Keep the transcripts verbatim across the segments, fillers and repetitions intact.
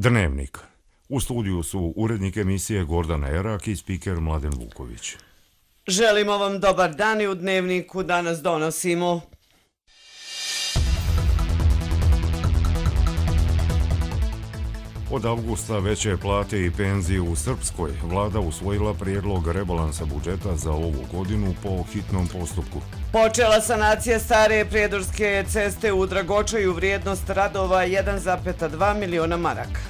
Dnevnik. U studiju su urednik emisije Gordana Erak i spiker Mladen Vuković. Želimo vam dobar dan i u Dnevniku danas donosimo. Od avgusta veće plate i penzije u Srpskoj. Vlada usvojila prijedlog rebalansa budžeta za ovu godinu po hitnom postupku. Počela sanacija stare prijedorske ceste u Dragočaju, vrijednost radova jedan zarez dva miliona maraka.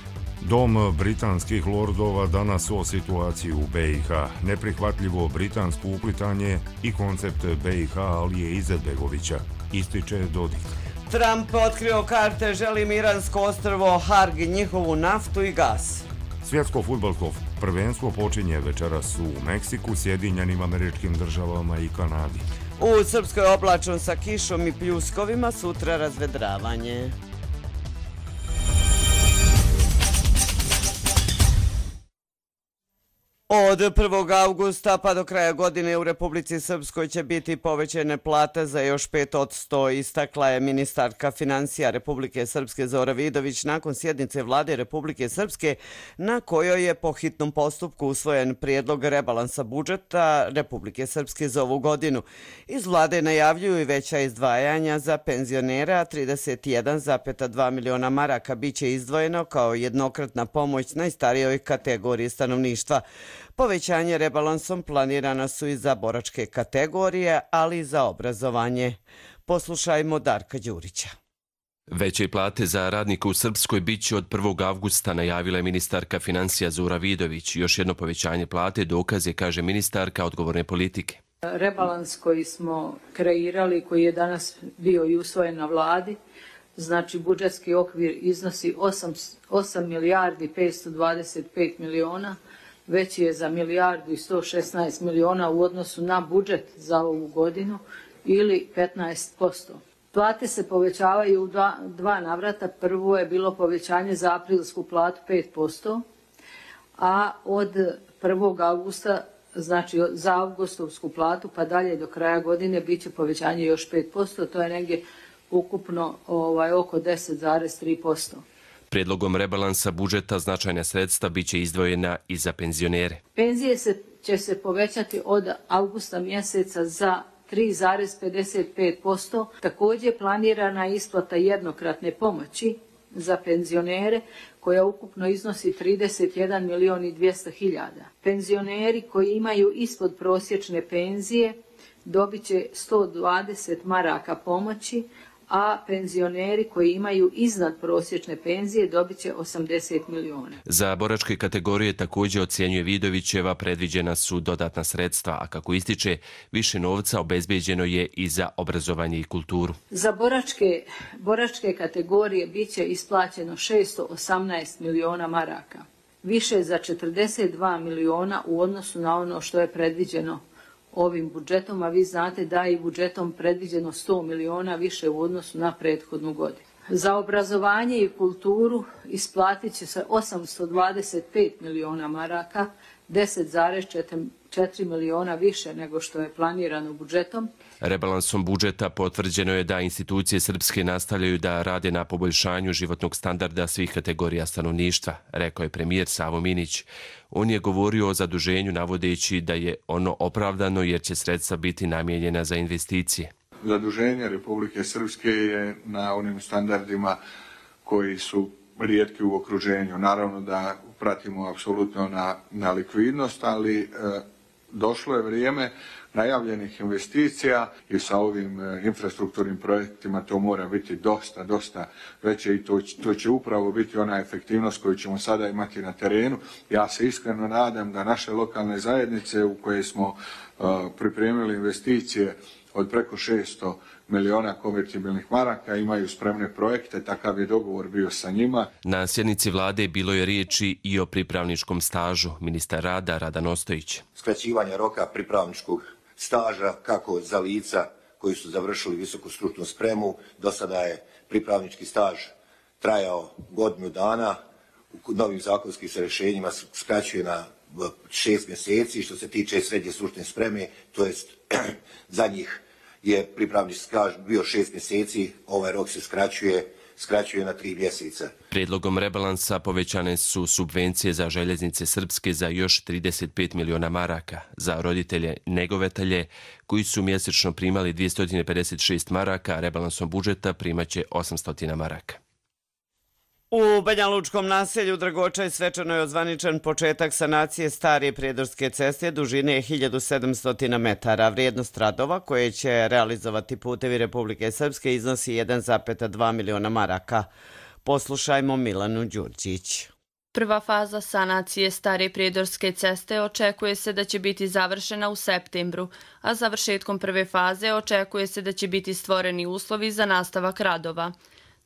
Dom britanskih lordova danas o situaciji u B i H. Neprihvatljivo britansko uplitanje i koncept B i H Alije Izetbegovića, ističe Dodik. Trump otkrio karte, želi iransko ostrvo Harg, njihovu naftu i gas. Svjetsko fudbalsko prvenstvo počinje večeras u Meksiku, Sjedinjenim Američkim Državama i Kanadi. U Srpskoj oblačno sa kišom i pljuskovima, sutra razvedravanje. Od prvog avgusta pa do kraja godine u Republici Srpskoj će biti povećane plate za još pet posto, istakla je ministarka financija Republike Srpske Zora Vidović nakon sjednice Vlade Republike Srpske na kojoj je po hitnom postupku usvojen prijedlog rebalansa budžeta Republike Srpske za ovu godinu. Iz Vlade najavljuju i veća izdvajanja za penzionera, trideset jedan zarez dva miliona maraka biće izdvojeno kao jednokratna pomoć najstarijoj kategoriji stanovništva. Povećanje rebalansom planirana su i za boračke kategorije, ali i za obrazovanje. Poslušajmo Darka Đurića. Veće plate za radnike u Srpskoj biće od prvog avgusta, najavila je ministarka financija Zora Vidović. Još jedno povećanje plate dokaz je, kaže ministarka, odgovorne politike. Rebalans koji smo kreirali, koji je danas bio i usvojen na vladi, znači budžetski okvir iznosi osam milijardi petsto dvadeset pet miliona, veći je za milijardu i sto šesnaest miliona u odnosu na budžet za ovu godinu ili petnaest posto. Plate se povećavaju u dva, dva navrata. Prvo je bilo povećanje za aprilsku platu pet posto, a od prvog avgusta, znači za avgustovsku platu pa dalje do kraja godine bit će povećanje još pet posto, to je negdje ukupno ovaj, oko deset zarez tri posto. Prijedlogom rebalansa budžeta značajna sredstva biće izdvojena i za penzionere. Penzije se, će se povećati od avgusta mjeseca za tri zarez pedeset pet posto. Također planirana isplata jednokratne pomoći za penzionere koja ukupno iznosi trideset jedan milion i dvjesto hiljada. Penzioneri koji imaju ispod prosječne penzije dobit će sto dvadeset maraka pomoći, a penzioneri koji imaju iznad prosječne penzije dobit će osamdeset miliona. Za boračke kategorije također, ocjenjuje Vidovićeva, predviđena su dodatna sredstva, a kako ističe, više novca obezbeđeno je i za obrazovanje i kulturu. Za boračke, boračke kategorije bit će isplaćeno šesto osamnaest miliona maraka, više za četrdeset dva miliona u odnosu na ono što je predviđeno ovim budžetom, a vi znate da je i budžetom predviđeno sto miliona više u odnosu na prethodnu godinu. Za obrazovanje i kulturu isplatit će se osamsto dvadeset pet miliona maraka, deset zarez četiri miliona više nego što je planirano budžetom. Rebalansom budžeta potvrđeno je da institucije srpske nastavljaju da rade na poboljšanju životnog standarda svih kategorija stanovništva, rekao je premijer Savo Minić. On je govorio o zaduženju navodeći da je ono opravdano jer će sredstva biti namijenjena za investicije. Zaduženje Republike Srpske je na onim standardima koji su rijetki u okruženju. Naravno da pratimo apsolutno na, na likvidnost, ali e, došlo je vrijeme najavljenih investicija i sa ovim e, infrastrukturnim projektima to mora biti dosta, dosta veće i to, to će upravo biti ona efektivnost koju ćemo sada imati na terenu. Ja se iskreno nadam da naše lokalne zajednice u koje smo e, pripremili investicije od preko šesto miliona konvertibilnih maraka imaju spremne projekte, takav je dogovor bio sa njima. Na sjednici vlade bilo je riječi i o pripravničkom stažu. Ministar rada Radan Ostojić. Skraćivanje roka pripravničkog staža kako za lica koji su završili visoku stručnu spremu. Do sada je pripravnički staž trajao godinu dana. U novim zakonskim se rješenjima skraćuje na šest mjeseci. Što se tiče srednje stručne spreme, to jest za njih je pripravnički staž bio šest mjeseci, ovaj rok se skraćuje skraćuje na tri mjeseca. Prijedlogom rebalansa povećane su subvencije za željeznice srpske za još trideset pet miliona maraka, za roditelje njegovatelje koji su mjesečno primali dvjesto pedeset šest maraka, a rebalansom budžeta primaće osamsto maraka. U Banjalučkom naselju Dragočaj svečano je ozvaničen početak sanacije stare prijedorske ceste dužine hiljadu sedamsto metara. Vrijednost radova koje će realizovati Putevi Republike Srpske iznosi jedan zarez dva miliona maraka. Poslušajmo Milanu Đurđić. Prva faza sanacije stare prijedorske ceste očekuje se da će biti završena u septembru, a završetkom prve faze očekuje se da će biti stvoreni uslovi za nastavak radova.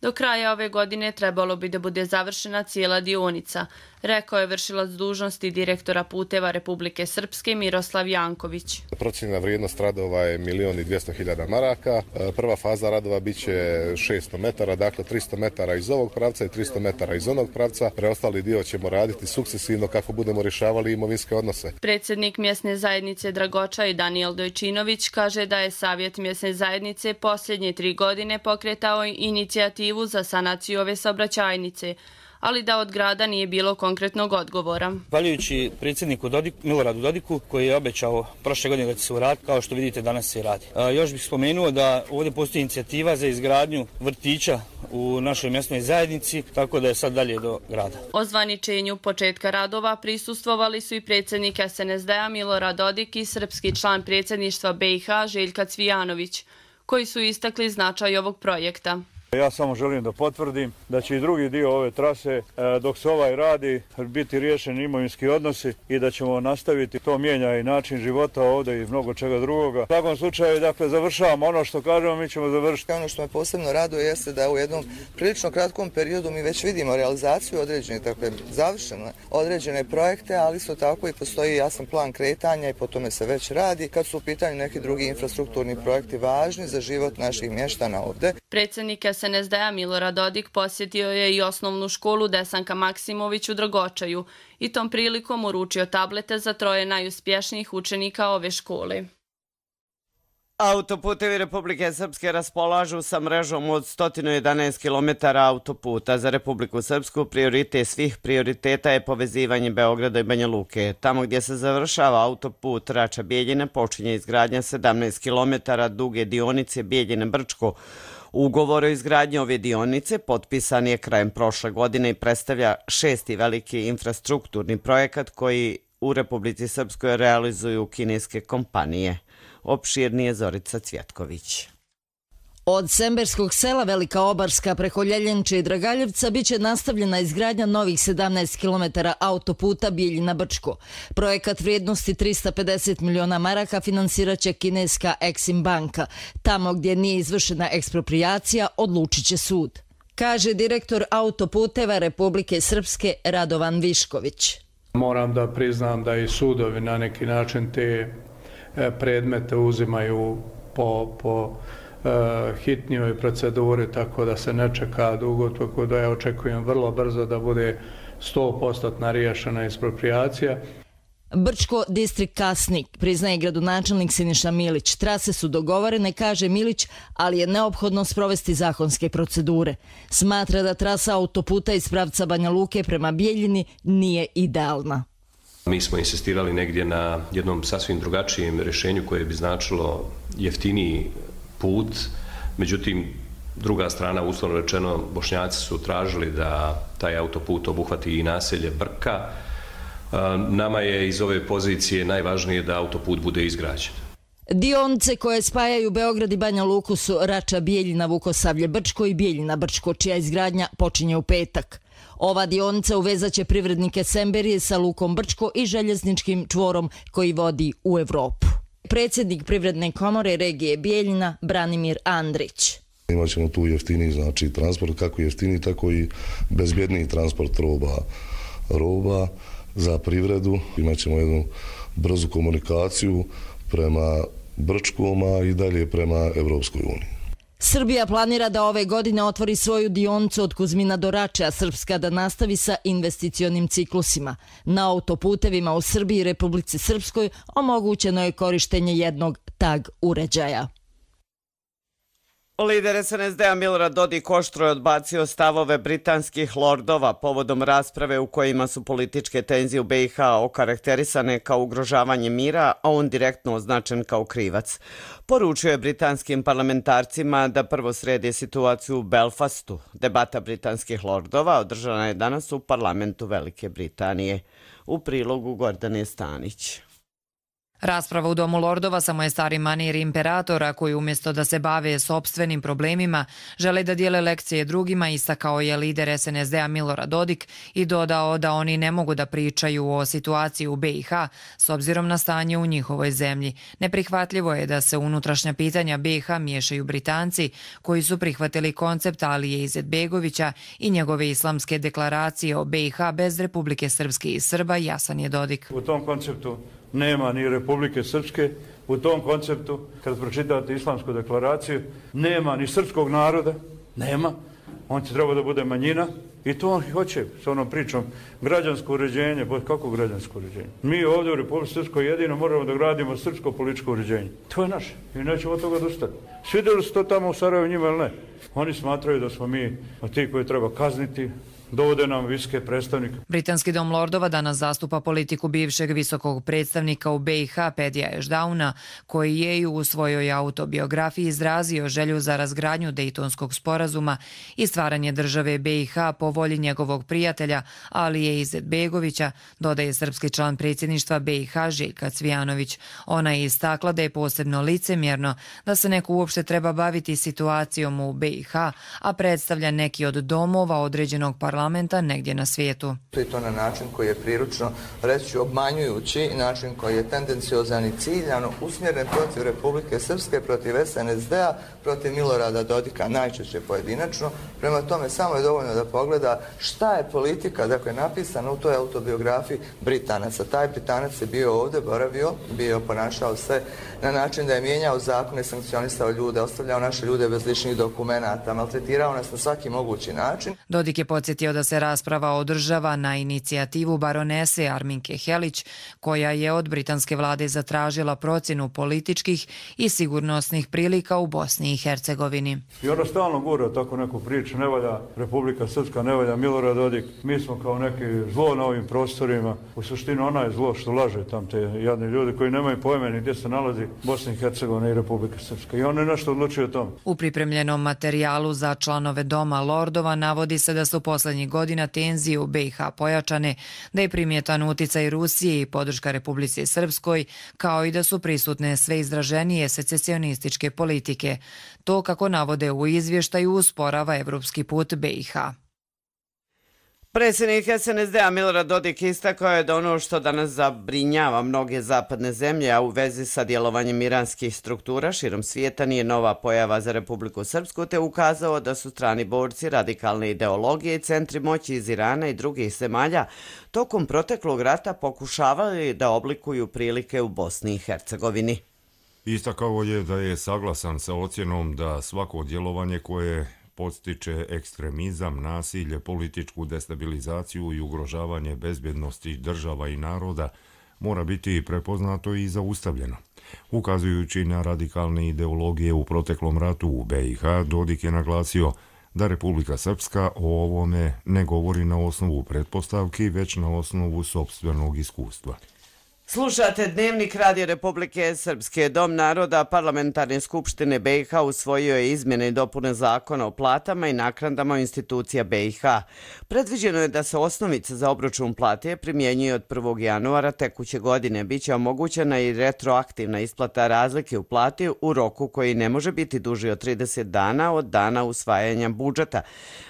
Do kraja ove godine trebalo bi da bude završena cijela dionica, rekao je vršilac dužnosti direktora Puteva Republike Srpske Miroslav Janković. Procijenjena vrijednost radova je milion i dvjesto hiljada maraka. Prva faza radova biće šesto metara, dakle tristo metara iz ovog pravca i tristo metara iz onog pravca. Preostali dio ćemo raditi sukcesivno kako budemo rješavali imovinske odnose. Predsjednik mjesne zajednice Dragočaj Danijel Dojčinović kaže da je Savjet mjesne zajednice posljednje tri godine pokretao inicijativu za sanaciju ove saobraćajnice, ali da od grada nije bilo konkretnog odgovora. Zahvaljujući predsjedniku Dodiku, Miloradu Dodiku, koji je obećao prošle godine da će se uraditi, kao što vidite danas se radi. A, još bih spomenuo da ovdje postoji inicijativa za izgradnju vrtića u našoj mjesnoj zajednici, tako da je sad dalje do grada. Ozvaničenju početka radova prisustvovali su i predsjednik S N S D-a Milorad Dodik i srpski član predsjedništva B i H Željka Cvijanović, koji su istakli značaj ovog projekta. Ja samo želim da potvrdim da će i drugi dio ove trase, dok se ovaj radi, biti riješeni imovinski odnosi i da ćemo nastaviti. To mijenja i način života ovdje i mnogo čega drugoga. U takvom slučaju, dakle, završavamo ono što kažemo, mi ćemo završiti. Ono što me posebno raduje jeste da u jednom prilično kratkom periodu mi već vidimo realizaciju određene, dakle, završene određene projekte, ali isto tako i postoji jasan plan kretanja i po tome se već radi kad su u pitanju neki drugi infrastrukturni projekti važni za život naših mještana ovdje. Predsjednik S N S D-a Milorad Dodik posjetio je i osnovnu školu Desanka Maksimović u Dragočaju i tom prilikom uručio tablete za troje najuspješnijih učenika ove škole. Autoputevi Republike Srpske raspolažu sa mrežom od sto jedanaest kilometara autoputa. Za Republiku Srpsku prioritet svih prioriteta je povezivanje Beograda i Banja Luke. Tamo gdje se završava autoput Rača-Bijeljina počinje izgradnja sedamnaest kilometara duge dionice Bijeljina-Brčko. Ugovor o izgradnji ove dionice potpisan je krajem prošle godine i predstavlja šesti veliki infrastrukturni projekat koji u Republici Srpskoj realizuju kineske kompanije. Opširnije Zorica Cvjetković. Od Semberskog sela Velika Obarska preko Ljeljenče i Dragaljevca biće nastavljena izgradnja novih sedamnaest kilometara autoputa Bijeljina-Brčko. Projekat vrijednosti tristo pedeset miliona maraka finansirat će kineska Exim banka. Tamo gdje nije izvršena eksproprijacija odlučit će sud, kaže direktor autoputeva Republike Srpske Radovan Višković. Moram da priznam da i sudovi na neki način te predmete uzimaju po, po hitnijoj proceduri, tako da se ne čeka dugo, tako da ja očekujem vrlo brzo da bude sto posto riješena eksproprijacija. Brčko distrikt Kasnik, priznaje gradonačelnik Siniša Milić. Trase su dogovorene, kaže Milić, ali je neophodno sprovesti zakonske procedure. Smatra da trasa autoputa iz pravca Banja Luke prema Bijeljini nije idealna. Mi smo insistirali negdje na jednom sasvim drugačijem rješenju koje bi značilo jeftiniji put, međutim druga strana, uslovno rečeno, Bošnjaci su tražili da taj autoput obuhvati i naselje Brka. Nama je iz ove pozicije najvažnije da autoput bude izgrađen. Dionice koje spajaju Beograd i Banja Luku su Rača, Bijeljina, Vukosavlje, Brčko i Bijeljina, Brčko, čija izgradnja počinje u petak. Ova dionica uvezaće privrednike Semberije sa lukom Brčko i željezničkim čvorom koji vodi u Evropu. Predsjednik Privredne komore regije Bijeljina Branimir Andrić. Imaćemo tu jeftiniji, znači, transport, kako jeftiniji, tako i bezbjedniji transport roba, roba za privredu. Imaćemo jednu brzu komunikaciju prema Brčkoma i dalje prema Evropskoj uniji. Srbija planira da ove godine otvori svoju dionicu od Kuzmina do Rače, a Srpska da nastavi sa investicionim ciklusima. Na autoputevima u Srbiji i Republici Srpskoj omogućeno je korištenje jednog tag uređaja. Lider es en es de a Milorad Dodik oštro je odbacio stavove britanskih lordova povodom rasprave u kojima su političke tenzije u be i ha okarakterisane kao ugrožavanje mira, a on direktno označen kao krivac. Poručio je britanskim parlamentarcima da prvo sredi situaciju u Belfastu. Debata britanskih lordova održana je danas u parlamentu Velike Britanije. U prilogu Gordane Stanić. Rasprava u Domu lordova samo je stari manir imperatora koji umjesto da se bave sopstvenim problemima žele da dijele lekcije drugima, istakao je lider es en es de a Milorad Dodik i dodao da oni ne mogu da pričaju o situaciji u be i ha s obzirom na stanje u njihovoj zemlji. Neprihvatljivo je da se unutrašnja pitanja be i ha miješaju Britanci koji su prihvatili koncept Alije Izetbegovića i njegove islamske deklaracije o be i ha bez Republike Srpske i Srba, jasan je Dodik. U tom konceptu nema ni Republike Srpske, u tom konceptu, kad pročitate islamsku deklaraciju, nema ni srpskog naroda, nema, on će treba da bude manjina i to on hoće s onom pričom građansko uređenje, kako građansko uređenje? Mi ovdje u Republike Srpskoj jedino moramo da gradimo srpsko političko uređenje. To je naše i nećemo od toga odustati. Svidjeli su to tamo u Sarajevu njima ili ne? Oni smatraju da smo mi ti koji treba kazniti, dovode nam visoke predstavnike. Britanski dom lordova danas zastupa politiku bivšeg visokog predstavnika u be i ha Pedija Ešdauna, koji je i u svojoj autobiografiji izrazio želju za razgradnju Dejtonskog sporazuma i stvaranje države be i ha po volji njegovog prijatelja Alije Izetbegovića, dodaje srpski član predsjedništva be i ha Željka Cvijanović. Ona je istakla da je posebno licemjerno da se neko uopšte treba baviti situacijom u be i ha, a predstavlja neki od domova određenog parlamenta negdje na svijetu. I to na način koji je priručno, reći obmanjujući, način koji je tendenciozan i ciljano usmjeren protiv Republike Srpske, protiv es en es de a, protiv Milorada Dodika, najčešće pojedinačno. Prema tome, samo je dovoljno da pogleda šta je politika, dakle, napisana u toj autobiografiji Britanaca. Taj Britanac je bio ovdje, boravio, bio ponašao se na način da je mijenjao zakone, sankcionisao ljude, ostavljao naše ljude bez ličnih dokumenata, maltretirao nas na svaki mogući način. Dodik je podsjetio da se rasprava održava na inicijativu baronese Arminke Helić, koja je od britanske vlade zatražila procjenu političkih i sigurnosnih prilika u Bosni i Hercegovini. I ona stalno gura tako neku priču, ne valja Republika Srpska, ne valja Milorad Dodik, mi smo kao neki zlo na ovim prostorima. U suštini ona je zlo što laže tam te jadni ljudi koji nemaju pojma ni gdje se nalazi Bosna i Hercegovina i Republika Srpska. I on je nešto odlučio o tom. U pripremljenom materijalu za članove Doma lordova navodi se da su poslednjih godina tenzije u be i ha pojačane, da je primjetan uticaj Rusije i podrška Republici Srpskoj, kao i da su prisutne sve izraženije secesionističke politike. To, kako navode u izvještaju, usporava evropski put be i ha. Predsjednik es en es de a Milorad Dodik istakao je da ono što danas zabrinjava mnoge zapadne zemlje, a u vezi sa djelovanjem iranskih struktura širom svijeta, nije nova pojava za Republiku Srpsku, te ukazao da su strani borci radikalne ideologije i centri moći iz Irana i drugih zemalja tokom proteklog rata pokušavali da oblikuju prilike u Bosni i Hercegovini. Istakao je da je saglasan sa ocjenom da svako djelovanje koje podstiče ekstremizam, nasilje, političku destabilizaciju i ugrožavanje bezbjednosti država i naroda mora biti prepoznato i zaustavljeno. Ukazujući na radikalne ideologije u proteklom ratu u be i ha, Dodik je naglasio da Republika Srpska o ovome ne govori na osnovu pretpostavki, već na osnovu sopstvenog iskustva. Slušate Dnevnik Radio Republike Srpske. Dom naroda Parlamentarne skupštine be i ha usvojio je izmjene i dopune zakona o platama i naknadama institucija be i ha. Predviđeno je da se osnovica za obračun plate primjenjuje od prvog januara tekuće godine. Biće omogućena i retroaktivna isplata razlike u plati u roku koji ne može biti duži od trideset dana od dana usvajanja budžeta.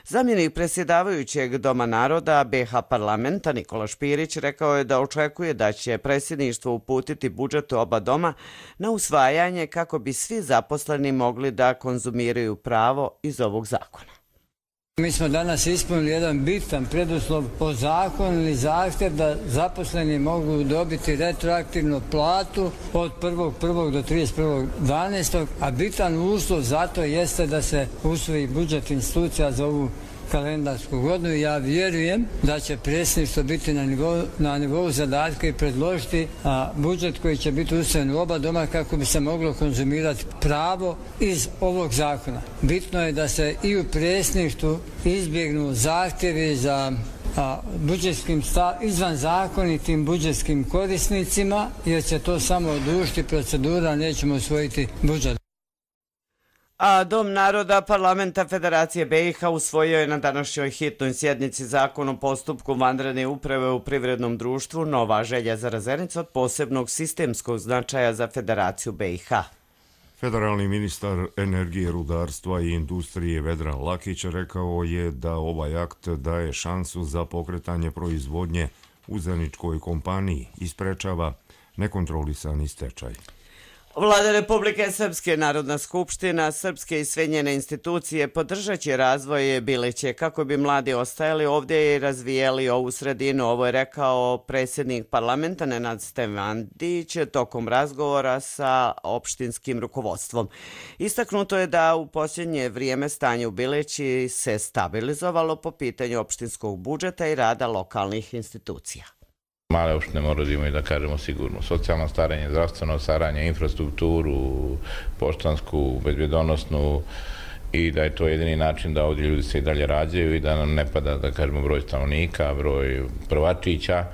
Zamjenik predsjedavajućeg Doma naroda be i ha parlamenta Nikola Špirić rekao je da očekuje da će predsjedništvo uputiti budžet oba doma na usvajanje kako bi svi zaposleni mogli da konzumiraju pravo iz ovog zakona. Mi smo danas ispunili jedan bitan preduslov po zakonu ili zahtjev da zaposleni mogu dobiti retroaktivnu platu od prvog prvog do trideset prvog dvanaestog a bitan uslov za to jeste da se usvoji budžet institucija za ovu kalendarsku godinu. Ja vjerujem da će predsjedništvo biti na nivou, na nivou zadatka i predložiti a, budžet koji će biti usvojen u oba doma kako bi se moglo konzumirati pravo iz ovog zakona. Bitno je da se i u predsjedništvu izbjegnu zahtjevi za a, budžetskim izvan zakonitim budžetskim korisnicima, jer će to samo odužiti procedura, nećemo usvojiti budžet. A Dom naroda Parlamenta Federacije B i H usvojio je na današnjoj hitnoj sjednici zakon o postupku vanredne uprave u privrednom društvu Nova Željezara Zenica od posebnog sistemskog značaja za Federaciju B i H. Federalni ministar energije, rudarstva i industrije Vedran Lakić rekao je da ovaj akt daje šansu za pokretanje proizvodnje u zeničkoj kompaniji i sprečava nekontrolisani stečaj. Vlada Republike Srpske, Narodna skupština, Srpske i sve njene institucije podržat će razvoj Bileće kako bi mladi ostajali ovdje i razvijeli ovu sredinu. Ovo je rekao predsjednik parlamenta Nenad Stevandić tokom razgovora sa opštinskim rukovodstvom. Istaknuto je da u posljednje vrijeme stanje u Bileći se stabilizovalo po pitanju opštinskog budžeta i rada lokalnih institucija. Male opštine moraju da imaju, da kažemo, sigurno socijalno staranje, zdravstveno staranje, infrastrukturu, poštansku, bezbjedonosnu i da je to jedini način da ovdje ljudi se i dalje rađaju i da nam ne pada, da kažemo, broj stanovnika, broj prvačića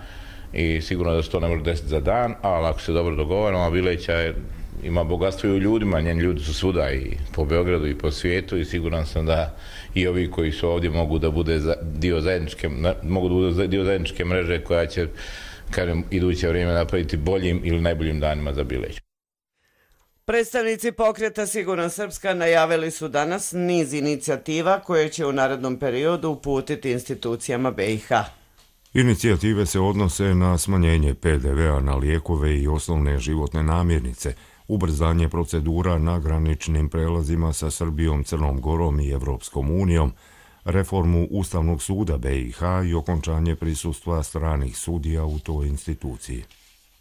i sigurno da se to ne može desiti za dan, ali ako se dobro dogovaramo, a Bileća je, ima bogatstvo i u ljudima, njeni ljudi su svuda i po Beogradu i po svijetu i siguran sam da i ovi koji su ovdje mogu da bude dio zajedničke, mogu da bude dio zajedničke mreže koja će, kažem, iduće vrijeme napraviti boljim ili najboljim danima za Bileću. Predstavnici pokreta Sigurna Srpska najavili su danas niz inicijativa koje će u narednom periodu uputiti institucijama B i H. Inicijative se odnose na smanjenje P D V-a na lijekove i osnovne životne namirnice, ubrzanje procedura na graničnim prelazima sa Srbijom, Crnom Gorom i Evropskom unijom, reformu Ustavnog suda B i H i okončanje prisustva stranih sudija u toj instituciji.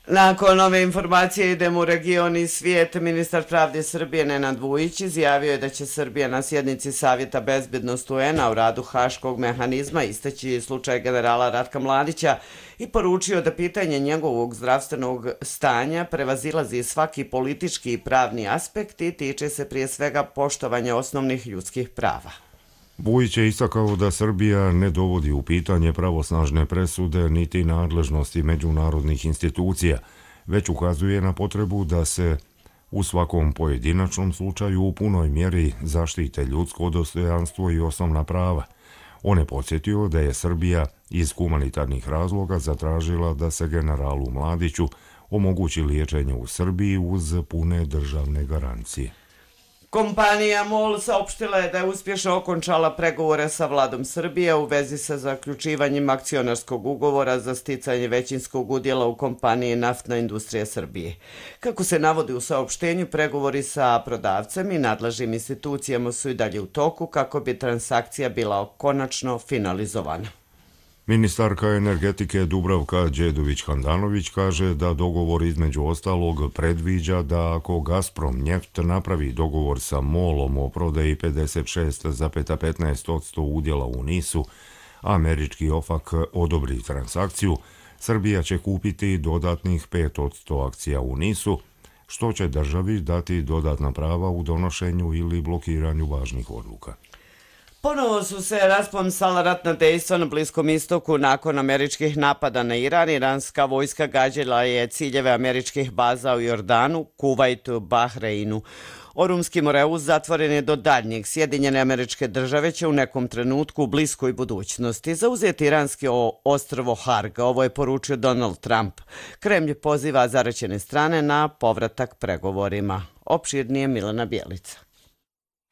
Nakon ove informacije idemo u region i svijet. Ministar pravde Srbije Nenad Vujić izjavio je da će Srbija na sjednici Savjeta bezbednosti U N-a u radu Haškog mehanizma istaći slučaj generala Ratka Mladića i poručio da pitanje njegovog zdravstvenog stanja prevazilazi svaki politički i pravni aspekt i tiče se prije svega poštovanja osnovnih ljudskih prava. Vujić je istakao da Srbija ne dovodi u pitanje pravosnažne presude niti nadležnosti međunarodnih institucija, već ukazuje na potrebu da se u svakom pojedinačnom slučaju u punoj mjeri zaštite ljudsko dostojanstvo i osnovna prava. On je podsjetio da je Srbija iz humanitarnih razloga zatražila da se generalu Mladiću omogući liječenje u Srbiji uz pune državne garancije. Kompanija MOL saopštila je da je uspješno okončala pregovore sa vladom Srbije u vezi sa zaključivanjem akcionarskog ugovora za sticanje većinskog udjela u kompaniji Naftna industrija Srbije. Kako se navodi u saopštenju, pregovori sa prodavcem i nadležnim institucijama su i dalje u toku kako bi transakcija bila konačno finalizovana. Ministarka energetike Dubravka Đedović-Handanović kaže da dogovor između ostalog predviđa da ako Gazprom Njeft napravi dogovor sa MOL-om o prodaji pedeset šest zarez petnaest posto udjela u NIS-u, američki OFAC odobri transakciju, Srbija će kupiti dodatnih pet posto akcija u NIS-u, što će državi dati dodatna prava u donošenju ili blokiranju važnih odluka. Ponovo su se raspomsala ratna dejstva na Bliskom istoku nakon američkih napada na Iran. Iranska vojska gađala je ciljeve američkih baza u Jordanu, Kuvajtu, Bahreinu. Orumski Moreus zatvoren je do daljnjeg. Sjedinjene Američke Države će u nekom trenutku u bliskoj budućnosti zauzeti iranski ostrvo Harg. Ovo je poručio Donald Trump. Kremlj poziva zaraćene strane na povratak pregovorima. Opširnije Milena Bjelica.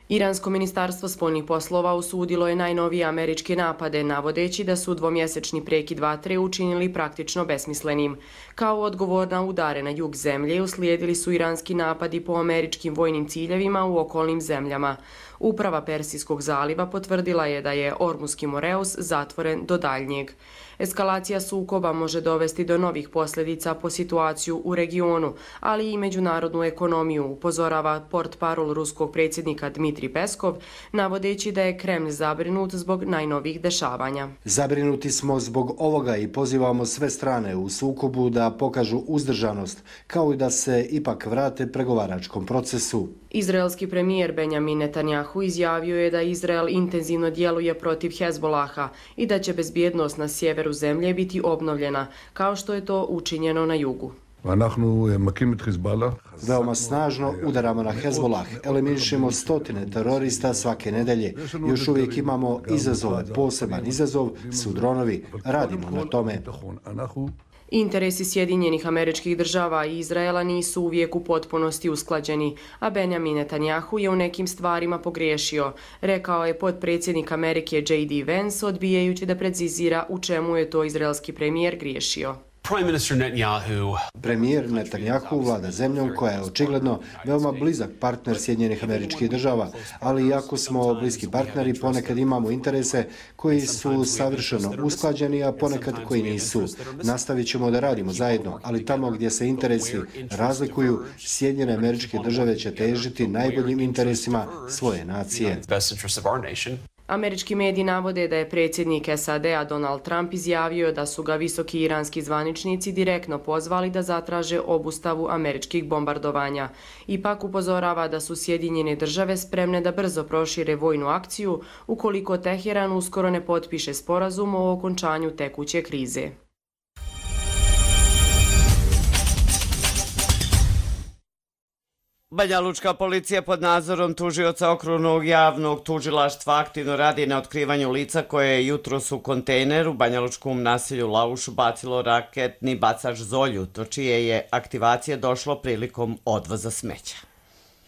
Iransko ministarstvo spoljnih poslova osudilo je najnovije američke napade, navodeći da su dvomjesečni prekid vatre učinili praktično besmislenim. Kao odgovor na udare na jug zemlje uslijedili su iranski napadi po američkim vojnim ciljevima u okolnim zemljama. Uprava Persijskog zaliva potvrdila je da je Ormuski Moreus zatvoren do daljnjeg. Eskalacija sukoba može dovesti do novih posljedica po situaciju u regionu, ali i međunarodnu ekonomiju, upozorava portparol ruskog predsjednika Dmitrija Dmitri Peskov, navodeći da je Kremlj zabrinut zbog najnovijih dešavanja. Zabrinuti smo zbog ovoga i pozivamo sve strane u sukobu da pokažu uzdržanost, kao i da se ipak vrate pregovaračkom procesu. Izraelski premijer Benjamin Netanjahu izjavio je da Izrael intenzivno djeluje protiv Hezbolaha i da će bezbjednost na sjeveru zemlje biti obnovljena, kao što je to učinjeno na jugu. Veoma snažno udaramo na Hezbolah, eliminišemo stotine terorista svake nedelje. Još uvijek imamo izazove, poseban izazov su dronovi. Radimo na tome. Interesi Sjedinjenih Američkih Država i Izraela nisu uvijek u potpunosti usklađeni, a Benjamin Netanjahu je u nekim stvarima pogriješio, rekao je potpredsjednik Amerike J D Vance, odbijajući da precizira u čemu je to izraelski premijer griješio. Premijer Netanjahu vlada zemljom koja je očigledno veoma blizak partner Sjedinjenih Američkih Država, ali iako smo bliski partneri, ponekad imamo interese koji su savršeno usklađeni, a ponekad koji nisu. Nastavit ćemo da radimo zajedno, ali tamo gdje se interesi razlikuju, Sjedinjene Američke Države će težiti najboljim interesima svoje nacije. Američki mediji navode da je predsjednik S A D-a Donald Trump izjavio da su ga visoki iranski zvaničnici direktno pozvali da zatraže obustavu američkih bombardovanja. Ipak upozorava da su Sjedinjene Države spremne da brzo prošire vojnu akciju ukoliko Teheran uskoro ne potpiše sporazum o okončanju tekuće krize. Banjalučka policija pod nadzorom tužioca Okrugnog javnog tužilaštva aktivno radi na otkrivanju lica koje je jutros u kontejner u banjalučkom naselju Lauš bacilo raketni bacač Zolju, do čije je aktivacije došlo prilikom odvoza smeća.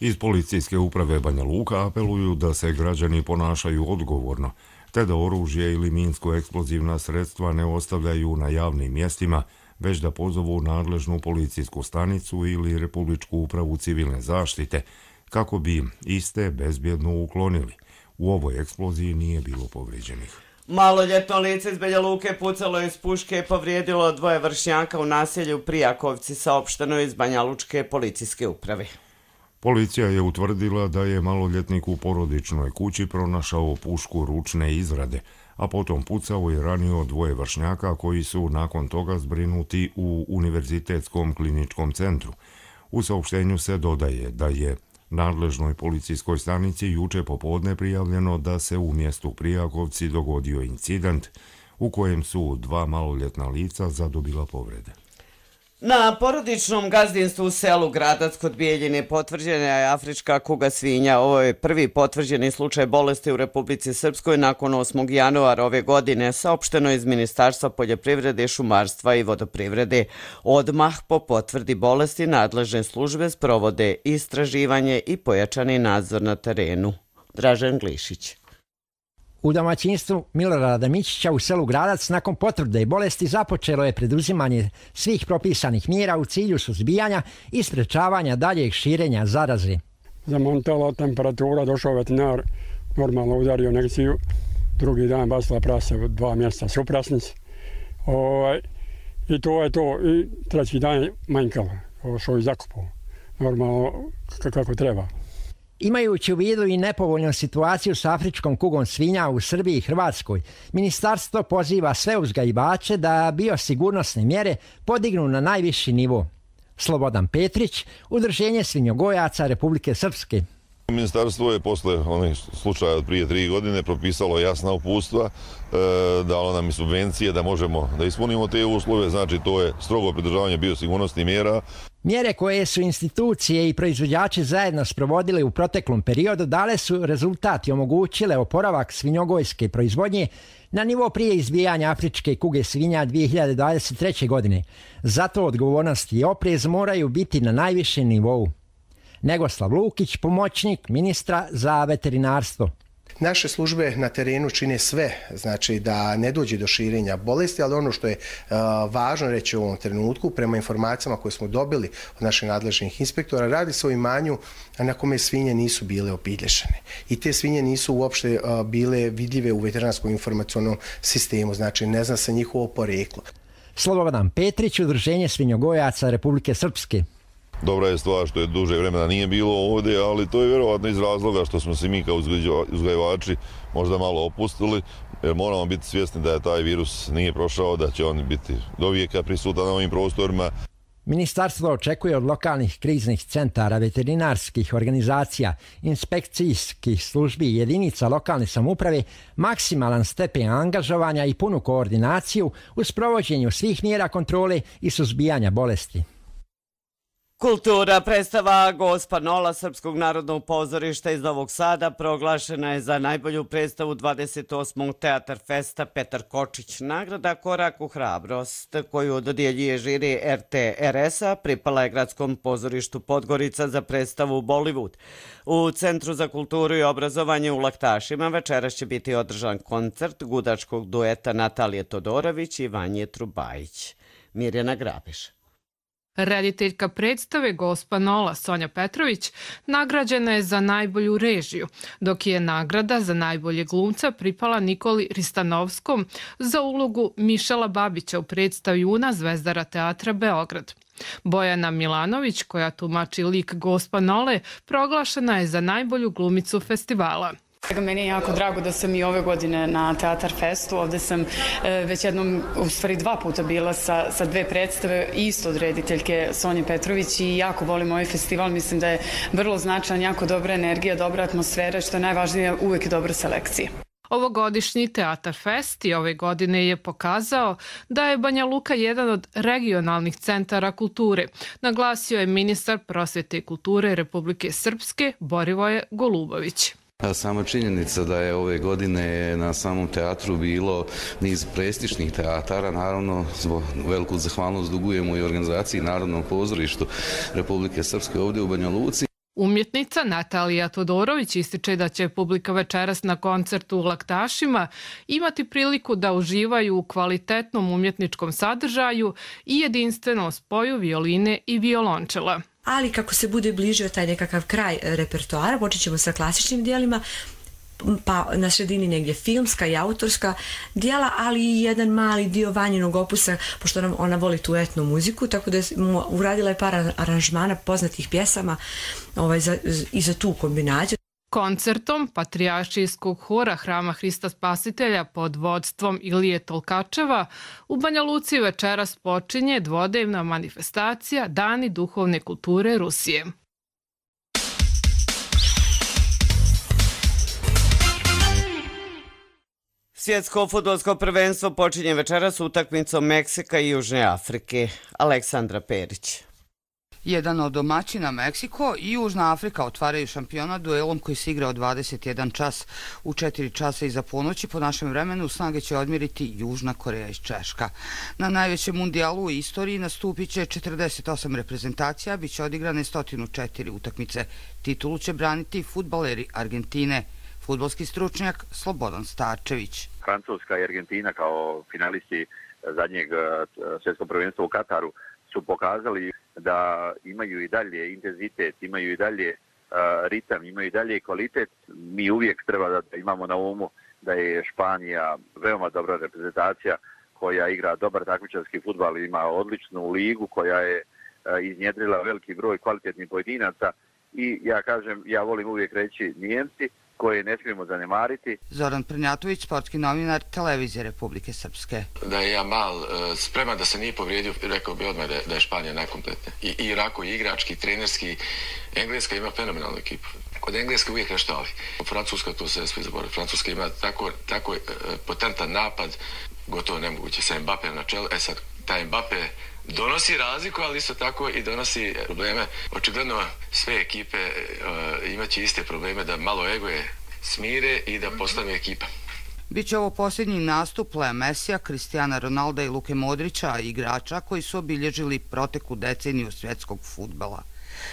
Iz policijske uprave Banja Luka apeluju da se građani ponašaju odgovorno, te da oružje ili minsko-eksplozivna sredstva ne ostavljaju na javnim mjestima, već da pozovu nadležnu policijsku stanicu ili Republičku upravu civilne zaštite, kako bi iste bezbjedno uklonili. U ovoj eksploziji nije bilo povrijeđenih. Maloljetno lice iz Banja Luke pucalo iz puške i povrijedilo dvoje vršnjaka u naselju Prijakovci, saopšteno iz Banjalučke policijske uprave. Policija je utvrdila da je maloljetnik u porodičnoj kući pronašao pušku ručne izrade, a potom pucao i ranio dvoje vršnjaka koji su nakon toga zbrinuti u Univerzitetskom kliničkom centru. U saopštenju se dodaje da je nadležnoj policijskoj stanici juče popodne prijavljeno da se u mjestu Prijakovci dogodio incident u kojem su dva maloljetna lica zadobila povrede. Na porodičnom gazdinstvu u selu Gradac kod Bijeljine potvrđena je afrička kuga svinja. Ovo je prvi potvrđeni slučaj bolesti u Republici Srpskoj nakon osmog januara ove godine, saopšteno iz Ministarstva poljoprivrede, šumarstva i vodoprivrede. Odmah po potvrdi bolesti nadležne službe sprovode istraživanje i pojačani nadzor na terenu. Dražen Glišić. U domaćinstvu Milorada Mićića u selu Gradac nakon potvrde bolesti započelo je preduzimanje svih propisanih mjera u cilju suzbijanja i sprečavanja daljeg širenja zaraze. Zamontala temperatura, došao veterinar, normalno udario injekciju, drugi dan basila prase u dva mjeseca suprasnici. Ovaj, I to je to, i treći dan je manjkalo, ovo što je zakupao, normalno kako treba. Imajući u vidu i nepovoljnu situaciju s afričkom kugom svinja u Srbiji i Hrvatskoj, ministarstvo poziva sve uzgajivače da biosigurnosne mjere podignu na najviši nivo. Slobodan Petrić, Udruženje svinjogojaca Republike Srpske. Ministarstvo je posle onih slučaja od prije tri godine propisalo jasna uputstva, dalo nam i subvencije da možemo da ispunimo te uslove, znači to je strogo pridržavanje biosigurnosnih mjera. Mjere koje su institucije i proizvođači zajedno sprovodili u proteklom periodu dale su rezultat i omogućile oporavak svinjogojske proizvodnje na nivo prije izbijanja afričke kuge svinja dvije hiljade dvadeset treće. godine. Zato odgovornost i oprez moraju biti na najvišem nivou. Negoslav Lukić, pomoćnik ministra za veterinarstvo. Naše službe na terenu čine sve, znači da ne dođe do širenja bolesti, ali ono što je uh, važno reći u ovom trenutku, prema informacijama koje smo dobili od naših nadležnih inspektora, radi se o imanju na kome svinje nisu bile obilješene. I te svinje nisu uopšte uh, bile vidljive u veterinarskom informacionom sistemu, znači ne zna se njihovo poreklo. Slobodan Petrić, Udruženje svinjogojaca Republike Srpske. Dobra je stvar što je duže vremena nije bilo ovdje, ali to je vjerovatno iz razloga što smo se mi kao uzgajivači možda malo opustili, jer moramo biti svjesni da je taj virus nije prošao, da će on biti do vijeka prisutan na ovim prostorima. Ministarstvo očekuje od lokalnih kriznih centara, veterinarskih organizacija, inspekcijskih službi i jedinica lokalne samouprave maksimalan stepen angažovanja i punu koordinaciju u sprovođenju svih mjera kontrole i suzbijanja bolesti. Kultura predstava Gospa Nola Srpskog narodnog pozorišta iz Novog Sada proglašena je za najbolju predstavu dvadeset osmog Teatar Festa Petar Kočić. Nagrada Korak u hrabrost koju dodjeljuje žiri er te er es-a pripala je Gradskom pozorištu Podgorica za predstavu Bollywood. U Centru za kulturu i obrazovanje u Laktašima večeras će biti održan koncert gudačkog dueta Natalije Todorović i Vanje Trubajić. Mirjana Grabiš. Rediteljka predstave Gospa Nola Sonja Petrović nagrađena je za najbolju režiju, dok je nagrada za najbolje glumca pripala Nikoli Ristanovskom za ulogu Mišela Babića u predstavi Juna Zvezdara teatra Beograd. Bojana Milanović, koja tumači lik Gospa Nole, proglašena je za najbolju glumicu festivala. Meni je jako drago da sam i ove godine na Teatar Festu. Ovde sam već jednom, u stvari dva puta bila sa, sa dve predstave isto od rediteljke Sonje Petrović i jako volim ovaj festival. Mislim da je vrlo značajan, jako dobra energija, dobra atmosfera, što je najvažnije, uvijek dobra selekcija. Ovogodišnji Teatar Fest i ove godine je pokazao da je Banja Luka jedan od regionalnih centara kulture, naglasio je ministar prosvete i kulture Republike Srpske Borivoje Golubović. Sama činjenica da je ove godine na samom teatru bilo niz prestižnih teatara, naravno zbog veliku zahvalnost dugujemo i organizaciji Narodnog pozorištu Republike Srpske ovdje u Banja Luci. Umjetnica Natalija Todorović ističe da će publika večeras na koncertu u Laktašima imati priliku da uživaju u kvalitetnom umjetničkom sadržaju i jedinstvenom spoju violine i violončela. Ali kako se bude bližio taj nekakav kraj repertoara, počet ćemo sa klasičnim dijelima, pa na sredini negdje filmska i autorska dijela, ali i jedan mali dio Vanjinog opusa, pošto nam ona voli tu etnu muziku, tako da je uradila je par aranžmana poznatih pjesama ovaj, za, i za tu kombinaciju. Koncertom Patrijaršijskog hora Hrama Hrista Spasitelja pod vodstvom Ilije Tolkačeva u Banja Luci večeras počinje dvodnevna manifestacija Dani duhovne kulture Rusije. Svjetsko fudbalsko prvenstvo počinje večeras utakmicom Meksika i Južne Afrike. Aleksandra Perić. Jedan od domaćina Meksiko i Južna Afrika otvaraju šampionat duelom koji se igra od dvadeset jedan čas. U četiri časa iza ponoći po našem vremenu snage će odmjeriti Južna Koreja i Češka. Na najvećem mundijalu u istoriji nastupit će četrdeset osam reprezentacija, bit će odigrane sto četiri utakmice. Titulu će braniti fudbaleri Argentine. Fudbalski stručnjak Slobodan Starčević. Francuska i Argentina kao finalisti zadnjeg svjetskog prvenstva u Kataru su pokazali da imaju i dalje intenzitet, imaju i dalje uh, ritam, imaju i dalje kvalitet. Mi uvijek treba da imamo na umu da je Španija veoma dobra reprezentacija koja igra dobar takmičarski fudbal, ima odličnu ligu koja je uh, iznjedrila veliki broj kvalitetnih pojedinaca i ja kažem, ja volim uvijek reći Nijemci koje ne smijemo zanemariti. Zoran Prnjatović, sportski novinar Televizije Republike Srpske. Da je Jamal uh, spreman da se nije povrijedio, rekao bi odmah da je, da je Španija najkompletnija. I, i Irako, i igrački, i trenerski. Engleska ima fenomenalnu ekipu. Kod Engleske uvijek nešto ali. Francuska to se svi zaboravili. Francuska ima tako, tako uh, potentan napad, gotovo nemoguće sa Mbappé na čelu. E sad, taj Mbappé donosi razliku, ali isto tako i donosi probleme. Očigledno sve ekipe uh, imaće iste probleme da malo egoje smire i da postane ekipa. Biće ovo posljednji nastup Lea Mesija, Kristijana Ronalda i Luke Modrića, igrača koji su obilježili proteklu deceniju svjetskog fudbala.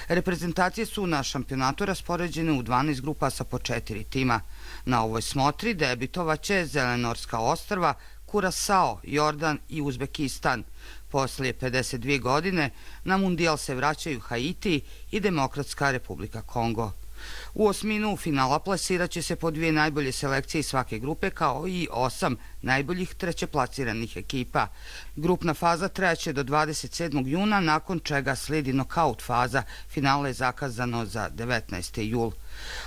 Reprezentacije su na šampionatu raspoređene u dvanaest grupa sa po četiri tima. Na ovoj smotri debitovaće Zelenorska ostrva, Kurasao, Jordan i Uzbekistan. Poslije pedeset dvije godine na mundijal se vraćaju Haiti i Demokratska Republika Kongo. U osminu finala plasirat će se po dvije najbolje selekcije iz svake grupe, kao i osam najboljih trećeplasiranih ekipa. Grupna faza trajaće do dvadeset sedmog juna, nakon čega slijedi nokaut faza. Finale je zakazano za devetnaesti jul.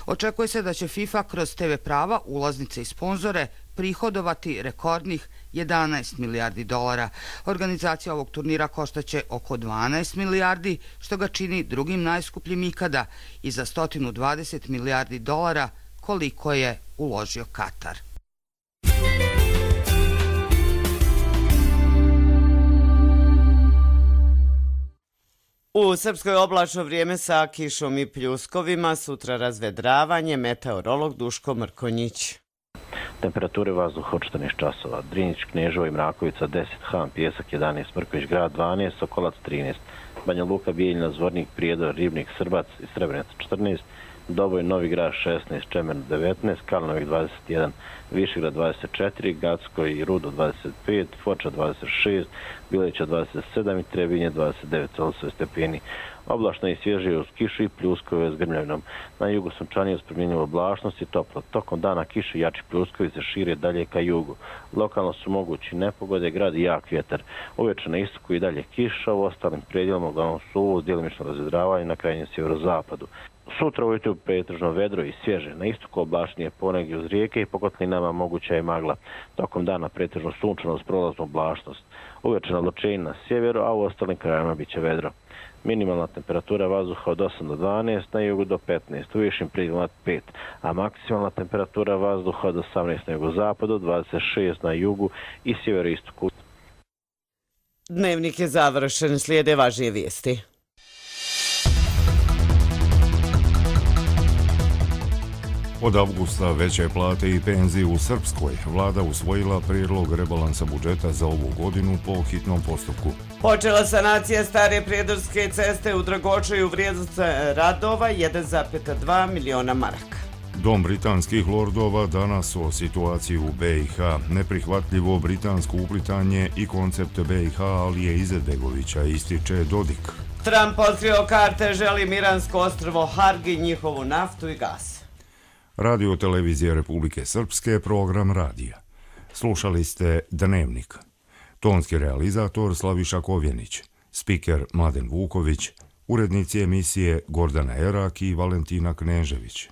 Očekuje se da će FIFA kroz te ve prava, ulaznice i sponzore prihodovati rekordnih jedanaest milijardi dolara. Organizacija ovog turnira koštaće oko dvanaest milijardi, što ga čini drugim najskupljim ikada, i za sto dvadeset milijardi dolara koliko je uložio Katar. U Srpskoj oblačno vrijeme sa kišom i pljuskovima, sutra razvedravanje, meteorolog Duško Mrkonjić. Temperature vazduha od četrnaest časova. Drinjić, Kneževo i Mrakovica deset, Han, Pjesak jedanaest, Mrković grad dvanaest, Sokolac trinaest, Banja Luka, Bijeljina, Zvornik, Prijedor, Ribnik, Srbac i Srebrenica četrnaest, Doboj, Novi Grad šesnaest, Čemer devetnaest, Kalnovik dvadeset jedan, Višegrad dvadeset četiri, Gacko i Rudo dvadeset pet, Foča dvadeset šest, Bileća dvadeset sedam i Trebinje dvadeset devet Celsijusa stepeni. Oblačno i svježije uz kišu i pljuskove s grmljavinom. Na jugu sunčanije uz promjenjivu oblačnost i toplo. Tokom dana kiše i jači pljuskovi se šire dalje ka jugu. Lokalno su mogući nepogode, grad i jak vjetar. Uveče na istoku i dalje kiša, u ostalim predjelima uglavnom suvo uz djelimično razvedravanje na krajnjem sjeverozapadu. Sutra ujutro pretežno vedro i svježe. Na istoku oblačnije ponegdje uz rijeke i po kotlinama moguća je magla. Tokom dana pretežno sunčano uz prolaznu oblačnost. Uveče na ločenju na sjeveru, a u ostalim krajima bit će vedro. Minimalna temperatura vazduha od osam do dvanaest, na jugu do petnaest, u višim predjelima pet, a maksimalna temperatura vazduha od osamnaest na jugozapadu, dvadeset šest na jugu i sjeveroistoku. Dnevnik je završen, slijede važnije vijesti. Od avgusta veće plate i penzije u Srpskoj. Vlada usvojila prijedlog rebalansa budžeta za ovu godinu po hitnom postupku. Počela sanacija stare prijedorske ceste u Dragočaju, vrijednost radova jedan zarez dva miliona maraka. Dom britanskih lordova danas o situaciji u be i ha. Neprihvatljivo britansko uplitanje i koncept be i ha Alije Izetbegovića, ističe Dodik. Trump otkrio karte, želi Miransko ostrvo Hargi, njihovu naftu i gas. Radio televizija Republike Srpske, program radija. Slušali ste Dnevnik. Tonski realizator Slaviša Kovjenić, spiker Mladen Vuković, urednici emisije Gordana Erak i Valentina Knežević.